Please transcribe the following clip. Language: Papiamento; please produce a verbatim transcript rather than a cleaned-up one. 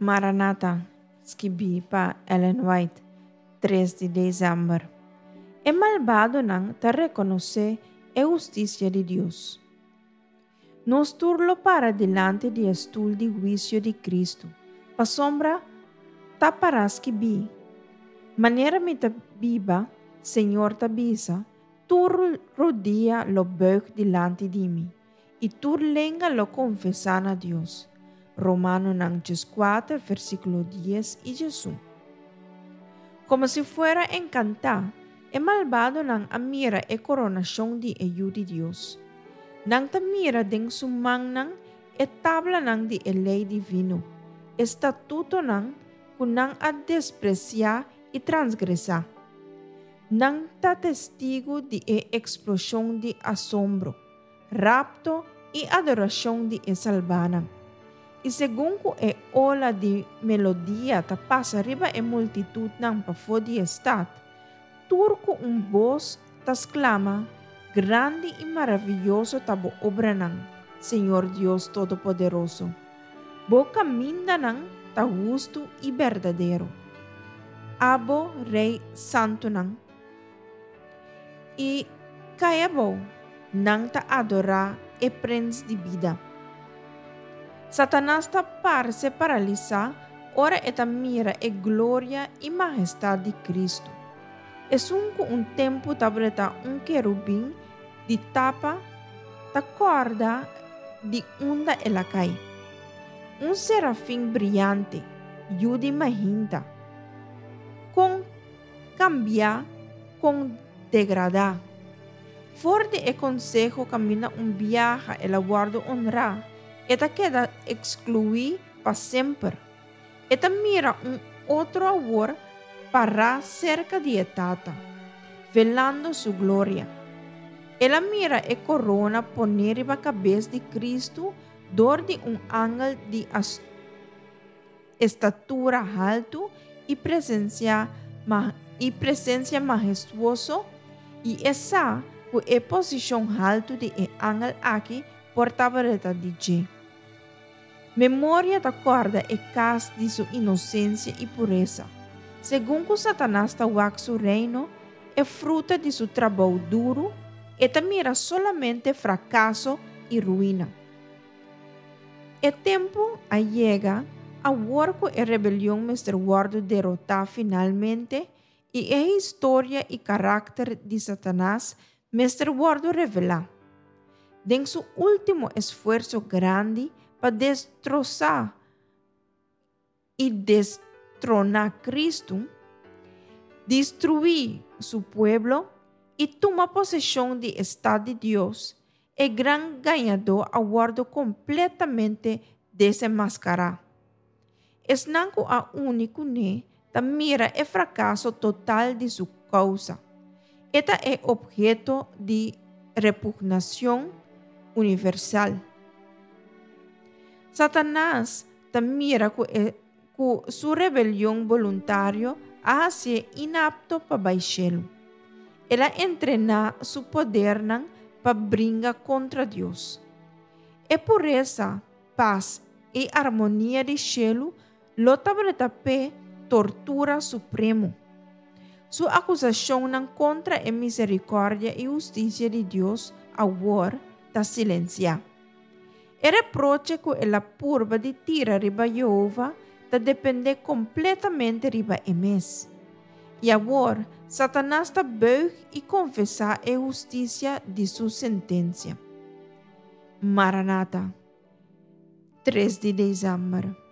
Maranata, skibí pa Ellen White, tres di desèmber. E malbadonan ta rekonosé e hustisia di Dios. Nos tur lo para dilanti di e stul di huisio di Kristu, pasobra ta pará skibí: Manera mi ta biba, Señor ta bisa, tur rudia lo buig dilanti di mi, i tur lenga lo konfesá na Dios. Romanonan kuater, versíkulo dies i diesun. Komo si fuera enkantá, e malbadonan a mira e koronashon di e Yu di Dios. Nan ta mira den su mannan e tablanan di e lei divino, e statutonan ku nan a despresiá i transgresá. Nan ta testigu di e eksploshon di asombro, rapto i adorashon di e salbánan. I segun ku e ola di melodia ta pasa riba e multitutnan pafó di e stat, tur ku un bos ta sklama: Grandi i maravioso ta bo obranan, Señor Dios Todopoderoso. Bo kamindanan ta hustu i berdadero. Abo, Rei santunan. I kai abou, nan ta adorá e Prens di Bida. Satanas ta parse paralisá ora e ta mira e gloria i mahestat di Kristu. Esun ku un tempu tabata un kerubin di tapa ta kòrda di unda el a kai. Un serafin briante, yu di mainta. Kon kambia, kon degradá. For di e konseho kaminda un biaha el a wòrdu honrá, e ta keda ekskluí pa semper. E ta mira un otro awor pará serka di e Tata, velando su gloria. El a mira e korona poné riba kabes di Kristu dor di un angel di estatura haltu i presensia i presensia mahestuoso i e sa ku e posishon haltu di e angel aki por tabata di dje. Memoria ta kòrda e kas di su inosensia i puresa. Segun ku Satanas ta wak su reino, e fruta di su trabou duru, e ta mira solamente frakaso i ruina. E tempu a yega awor ku e rebelion mester wòrdu derotá finalmente i e historia i karakter di Satanas mester wòrdu revelá. Den su último esfuerso grandi pa destrosá i destroná Kristu, destruí su pueblo i tuma poseshon di e stat di Dios, e gran gañadó a wòrdu kompletamente desenmaskará. Esnan ku a uni kuné ta mira e frakaso total di su kousa. E ta e opheto di repugnashon universal. Satanas ta mira ku, e, ku su rebelion boluntario a hasié inapto pa bai shelu. El a entrená su podernan pa bringa kontra Dios. E puresa, pas i armonia di shelu lo tabata p'e tortura supremo. Su akusashonnan kontra e miserikòrdia i hustisia di Dios awor ta silensiá. E reproche ku el a purba di tira riba Yehova ta dependé kompletamente riba e mes. I awor, Satanas ta buig i konfesá e hustisia di su sentensia. Maranata, tres di desèmber.